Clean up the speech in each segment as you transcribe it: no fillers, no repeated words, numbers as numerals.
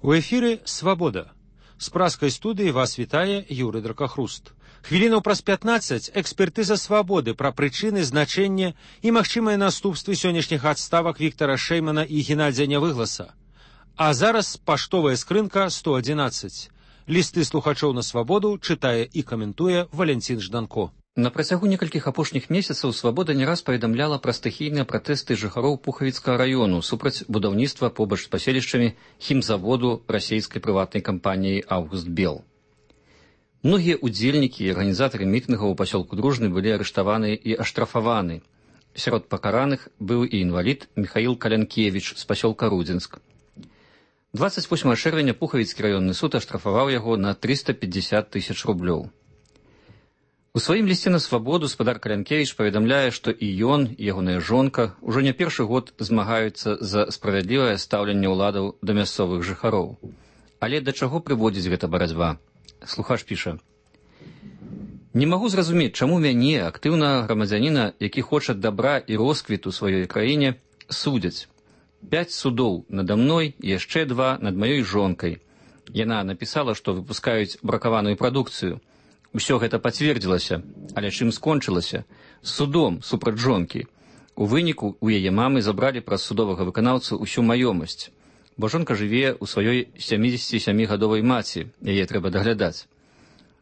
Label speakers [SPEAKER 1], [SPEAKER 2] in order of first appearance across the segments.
[SPEAKER 1] У эфіры «Свабода». З праскай студыі вас вітае Юрый Дракахруст. Хвілінаў праз 15 экспертыза «Свабоды» пра прычыны, значэнне і магчымыя наступствы сённяшніх адставак Віктара Шэймана і Геннадзя Нявыгласа. А зараз паштовая скрынка 111. Лісты слухачоў на «Свабоду» чытае і каментуе Валянцін Жданко.
[SPEAKER 2] На працягу некалькіх апошніх месяцаў «Свабода» не раз паведамляла пра стыхійныя пратэсты жыхароў Пухавіцкага раёну супраць будаўніцтва побач з паселішчамі хімзаводу расійскай прыватнай кампаніі «Август Бел». Многія ўдзельнікі і арганізатары мітынгаў у пасёлку Дружны былі арыштаваны і аштрафаваны. Сярод пакараных быў і інвалід Міхаіл Калянкевіч з пасёлка Рудзінск. 28 чэрвеня Пухавіцкі раённы суд аштрафаваў яго на 350 тысяч рублёў. У сваім лісце на «Свабоду» спадар Калянкевіч паведамляе, што і ён, і ягоная жонка ўжо не першы год змагаюцца за справядлівае стаўленне ўладаў да мясцовых жыхароў. Але да чаго прыводзіць гэта барацьба? Слухач піша: «Не магу зразумець, чаму мяне, актыўнага грамадзяніна, які хоча дабра і росквіту сваёй краіне, судзяць. 5 судоў надо мной, яшчэ 2 над маёй жонкай. Яна напісала, што выпускаюць бракаваную прадукцыю. Усё гэта пацвердзілася, але чым скончылася? Судом супраць жонкі. У выніку у яе мамы забралі праз судовага выканаўцу ўсю маёмасць, бо жонка жыве ў сваёй 77-гадовай маці, яе трэба даглядаць.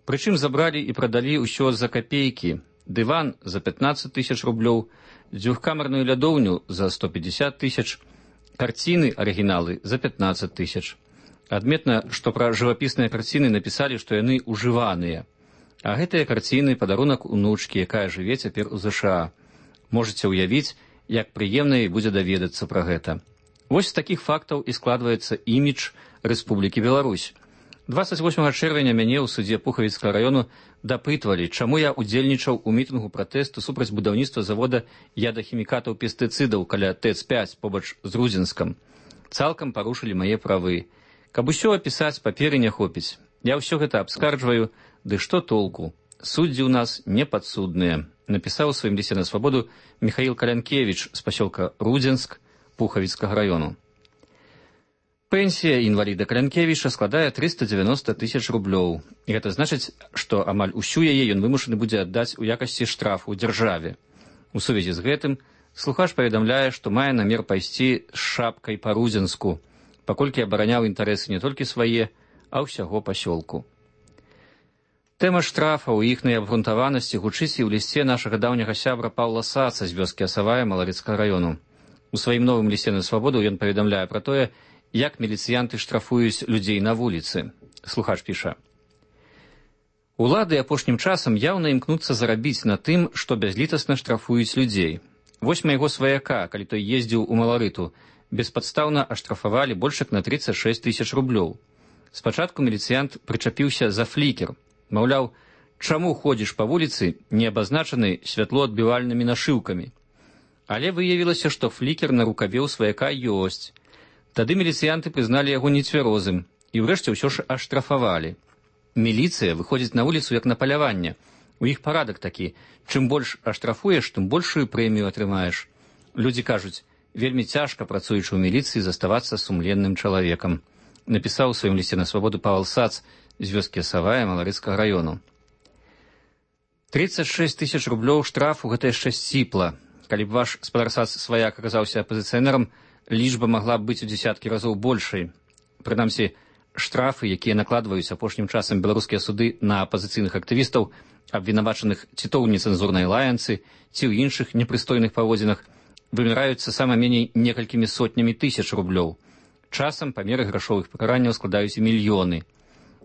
[SPEAKER 2] Прычым забралі і прадалі ўсё за капейкі: дыван за 15 тысяч рублёў, дзвюхкамерную лядоўню за 150 тысяч, карціны арыгіналы за 15 тысяч. Адметна, што пра жывапісныя карціны напісалі, што яны ужываныя. А гэтыя карціны — падарунак унучкі, якая жыве цяпер у ЗША. Можаце ўявіць, як прыемна і будзе даведацца пра гэта. Вось з такіх фактаў і складваецца імідж Рэспублікі Беларусь. 28 чэрвеня мяне ў судзе Пухавіцкага раёну дапытвалі, чаму я удзельнічаў у мітынгу пратэсту супраць будаўніцтва завода ядахімікатаў пестыцыдаў каля ТЭЦ-5 побач з Рудзінскам. Цалкам парушылі мае правы. Каб усё апісаць, паперы не хопіць. Я ўсё гэта абскарджваю, ды што толку? Суддзі ў нас непадсудныя, напісаў у сваім лісце на «Свабоду» Міхаіл Калянкевіч з пасёлка Рудзінск Пухавіцкага раёну. Пенсія інваліда Калянкевіча складае 390 тысяч рублёў. І гэта значыць, што амаль усю яе ён вымушаны будзе аддаць у якасці штрафу дзяржаве. У сувязі з гэтым слухач паведамляе, што мае намер пайсці з шапкай па Рудзінску, паколькі абараняў інтарэсы не толькі свае, а ўсяго пасёлку. Тэма штрафа ў іхнай абгрунтаванасці гучыць і ў лісце нашага даўняга сябра Паўла Саца з вёскі Асавая Малавіцкага раёну. У сваім новым лісце на «Свабоду» ён паведамляе пра тое, як міліцыянты штрафуюць людзей на вуліцы. Слухач піша: «Улады апошнім часам яўна імкнуцца зарабіць на тым, што бязлітасна штрафуюць людзей. Вось майго сваяка, калі той ездзіў у Маларыту, беспадстаўна аштрафавалі больш як на 36 тысяч рублёў. Спачатку міліцыянт прычапіўся за флікер. Маўляў, чаму ходзіш па вуліцы, не абазначаны святлоадбівальнымі нашыўкамі? Але выявілася, што флікер на рукаве ў сваяка ёсць. Тады міліцыянты прызналі яго нецвярозым і ўрэшце ўсё ж аштрафавалі. Міліцыя выходзіць на вуліцу як на паляванне. У іх парадак такі: чым больш аштрафуеш, тым большую прэмію атрымаеш. Людзі кажуць, вельмі цяжка, працуючы ў міліцыі, заставацца сумленным чалавекам, напісаў у сваім лісце на «Свабоду» Павел Сац з вёскі Асавая Маларыцкага раёну. 36 тысяч рублёў штрафу — гэта яшчэ сціпла. Калі б ваш спадар Сац сваяк аказаўся апазіцыянерам, лічба магла б быць у дзесяткі разоў большай. Прынамсі, штрафы, якія накладваюць апошнім часам беларускія суды на апазіцыйных актывістаў, абвінавачаных ці то ў нецэнзурнай лаянцы, ці ў іншых непрыстойных паводзінах, вымяраюцца сама меней некалькімі сотнямі тысяч рублёў. Часам памеры грашовых пакаранняў складаюць і мільёны.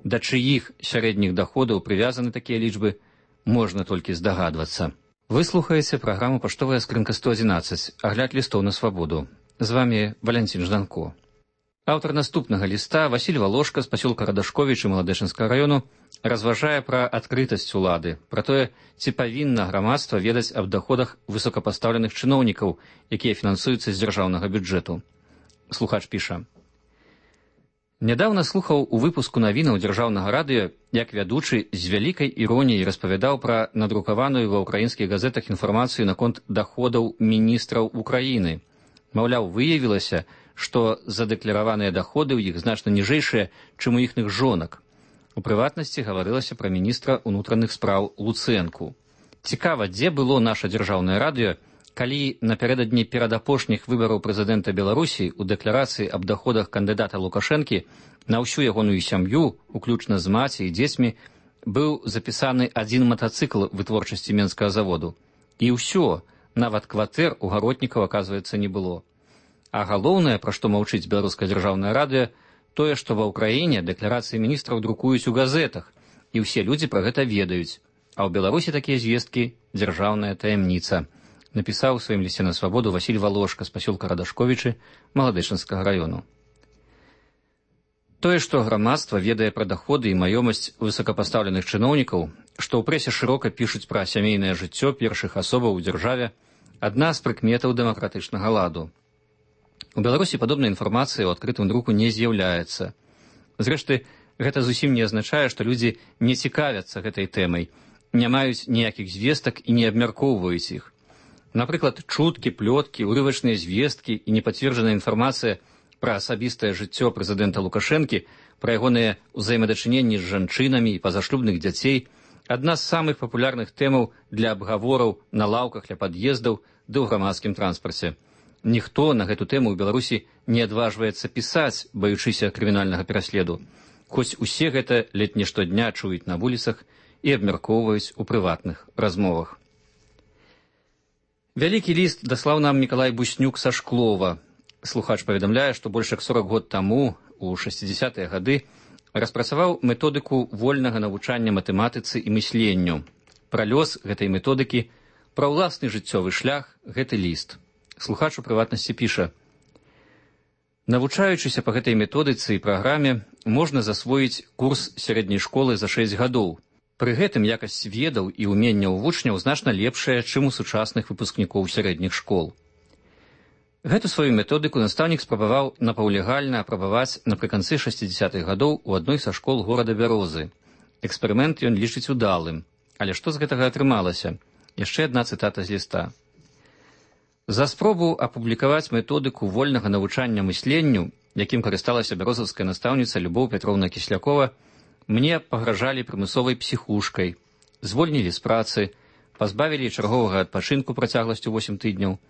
[SPEAKER 2] Да чыіх сярэдніх даходаў прывязаны такія лічбы, можна толькі здагадвацца. Вы слухаеце праграму «Паштовая скрынка 111», агляд лістоў на «Свабоду». З вамі Валянцін Жданко. Аўтар наступнага ліста, Васіль Валошка з пасёлка Радашковіч і Маладэшынскага раёну, разважае пра адкрытасць улады, пра тое, ці павінна грамадства ведаць аб даходах высокапастаўленых чыноўнікаў, якія фінансуюцца з дзяржаўнага бюджэту. Слухач піша: «Нядаўна слухаў у выпуску навінаў дзяржаўнага радыё, як вядучы з вялікай іроніяй распавядаў пра надрукаваную ва ўкраінскіх газетах інфармацыю наконт даходаў міністраў Украіны. Маўляў, выявілася, што задэклараваныя даходы ў іх значна ніжэйшыя, чым у іхных жонак. У прыватнасці гаварылася пра міністра ўнутраных спраў Луцэнку. Цікава, дзе было наша дзяржаўнае радыё, калі напярэдадні перадапошніх выбараў прэзідэнта Беларусі ў дэкларацыі аб даходах кандыдата Лукашэнкі на ўсю ягоную сям'ю, уключна з маці і дзецьмі, быў запісаны адзін матацыкл вытворчасці менскага заводу. І ўсё, нават кватэр у гаротнікаў, аказваецца, не было. А галоўнае, пра што маўчыць беларускае дзяржаўнае радыё, тое, што ва ўкраіне дэкларацыі міністраў друкуюць у газетах, і ўсе людзі пра гэта ведаюць. А ў Беларусі такія звесткі дзяржаўная таямніца, напісаў у сваім лісце на свабоду Васіль Валошка з пасёлка Радашковічы Маладычынскага раёну. Тое, што грамадства ведае пра даходы і маёмасць высокапастаўленых чыноўнікаў, што ў прэсе шырока пішуць пра сямейнае жыццё першых асобаў у дзяржаве, адна з прыкметаў дэмакратычнага ладу. У Беларусі падобнай інфармацыі ў адкрытым друку не з'яўляецца. Зрэшты, гэта зусім не азначае, што людзі не цікавяцца гэтай тэмай, не маюць ніякіх звестак і не абмяркоўваюць іх. Напрыклад, чуткі, плёткі, урывачныя звесткі і непацверджаная інфармацыя пра асабістае жыццё прэзідэнта Лукашэнкі, пра ягоныя ўзаемадачыненні з жанчынамі і пазашлюбных дзяцей – адна з самых папулярных тэмаў для абгавораў на лаўках ля пад'ездаў ды ў грамадскім транспарце. Ніхто на гэту тэму ў Беларусі не адважваецца пісаць, баючыся крымінальнага пераследу, хоць усе гэта ледзь не штодня чуюць на вуліцах і абмяркоўваюць у прыватных размовах. Вялікі ліст даслаў нам Мікалай Буснюк са Шклова. Слухач паведамляе, што больш як 40 год таму, у 60-е гады, распрацаваў методыку вольнага навучання матэматыцы і мысленню. Пра лёс гэтай методыкі, пра ўласны жыццёвы шлях гэты ліст. Слухач у прыватнасці піша: «Навучаючыся па гэтай методыцы і праграме, можна засвоіць курс сярэдняй школы за 6 гадоў. Пры гэтым якасць ведаў і ўменняў вучняў значна лепшая, чым у сучасных выпускнікоў сярэдніх школ». Гэту сваю методыку настаўнік спрабаваў напаўлегальна апрабаваць напрыканцы 60-х гадоў у адной са школ горада Бярозы. Эксперымент ён лічыць удалым. Але што з гэтага атрымалася? Яшчэ адна цытата з ліста. «За спробу апублікаваць методыку вольнага навучання мысленню, якім карысталася бярозаўская настаўніца Любоў Пятроўна Кіслякова, мне пагражалі прымусовай псіхушкай, звольнілі з працы, пазбавілі чарговага адпачынку працягласцю 8 тыдняў.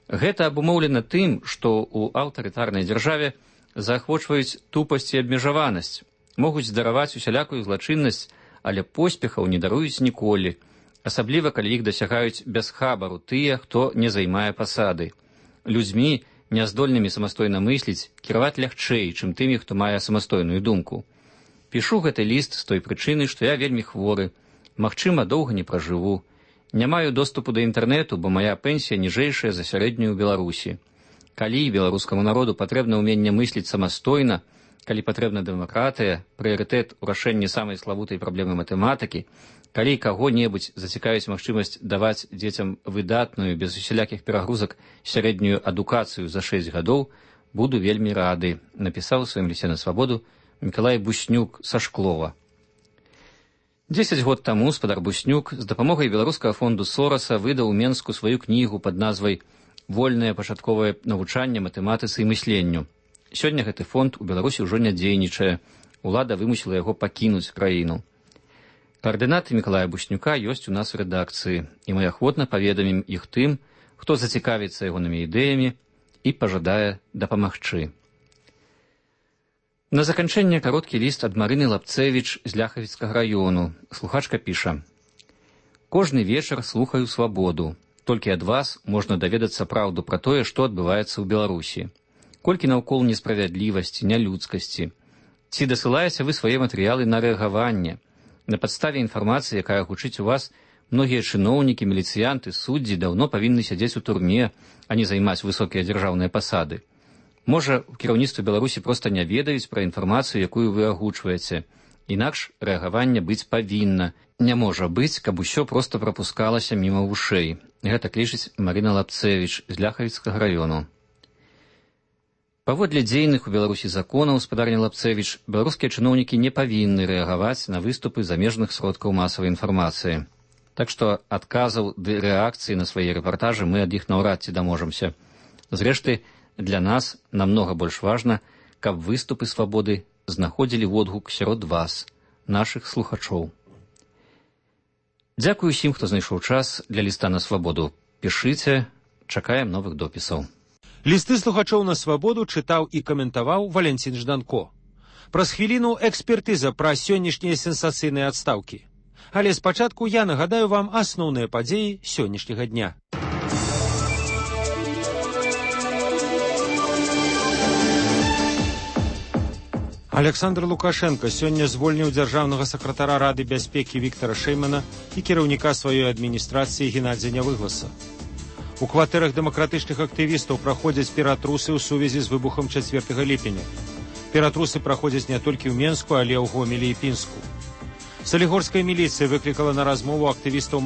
[SPEAKER 2] Гэта абумоўлена тым, што ў аўтарытарнай дзяржаве заахвочваюць тупасць і абмежаванасць, могуць здараваць усялякую злачыннасць, але поспехаў не даруюць ніколі, асабліва калі іх дасягаюць без хабару тыя, хто не займае пасады. Людзьмі, няздольнымі самастойна мысліць, кіраваць лягчэй, чым тымі, хто мае самастойную думку. Пішу гэты ліст з той прычыны, што я вельмі хворы, магчыма, доўга не пражыву. Не маю доступу да інтэрнэту, бо мая пенсія ніжэйшая за сярэднюю ў Беларусі. Калі беларускаму народу патрэбна ўменне мысліць самастойна, калі патрэбна дэмакратыя, прыярытэт у рашэнні самай славутай праблемы матэматыкі, калі каго-небудзь зацікавіць магчымасць даваць дзецям выдатную, без усялякіх перагрузак, сярэднюю адукацыю за 6 гадоў, буду вельмі рады, напісаў у сваім лісце на свабоду Мікалай Буснюк са Шклова. 10 год таму спадар Буснюк з дапамогай беларускага фонду Сораса выдаў у Менску сваю кнігу пад назвай «Вольнае пачатковае навучанне матэматыцы і мысленню». Сёння гэты фонд у Беларусі ўжо не дзейнічае, улада вымусіла яго пакінуць краіну. Каардынаты Мікалая Буснюка ёсць у нас у рэдакцыі, і мы ахвотна паведамім іх тым, хто зацікавіцца ягонымі ідэямі і пажадае дапамагчы. На заканчэнне кароткі ліст ад Марыны Лапцэвіч з Ляхавіцкага раёну. Слухачка піша: «Кожны вечар слухаю свабоду. Толькі ад вас можна даведацца праўду пра тое, што адбываецца ў Беларусі. Колькі наўкол несправядлівасці, нялюдскасці. Ці дасылаеце вы свае матэрыялы на рэагаванне? На падставе інфармацыі, якая гучыць у вас, многія чыноўнікі, міліцыянты, суддзі даўно павінны сядзець у турме, а не займаць высокія дзяржаўныя пасады. Можа, у кіраўніцтве Беларусі проста не ведаюць пра інфармацыю, якую вы агучваеце. Інакш рэагаванне быць павінна. Не можа быць, каб усё проста прапускалася міма вушэй». Гэта лічыць Марына Лапцэвіч з Ляхавіцкага раёну. Паводле дзейных у Беларусі законаў, спадарня Лапцэвіч, беларускія чыноўнікі не павінны рэагаваць на выступы замежных сродкаў масавай інфармацыі. Так што адказаў ды рэакцыі на свае рэпартажы мы ад іх наўрад ці даможамся. Зрэшты, Для нас намнога больш важна, каб выступы свабоды знаходзілі водгук сярод вас, нашых слухачоў. Дзякую усім, хто знайшоў час для ліста на свабоду. Пішыце, чакаем новых допісаў.
[SPEAKER 1] Лісты слухачоў на свабоду чытаў і каментаваў Валянцін Жданко. Праз хвіліну экспертыза пра сённяшнія сенсацыйныя адстаўкі. Але спачатку я нагадаю вам асноўныя падзеі сённяшняга дня. Александр Лукашенко сёння звольніў дзяржаўнага сакратара Рады бяспекі Віктара Шэймана і кіраўніка сваёй адміністрацыі Геннадзя Нявыгласа. У кватэрах дэмакратычных актывістаў праходзяць ператрусы ў сувязі з выбухам 4 ліпеня. Ператрусы праходзяць не толькі ў Менску, але ў Гомелі і Пінску. Салігорская міліцыя выклікала на размову актывістаў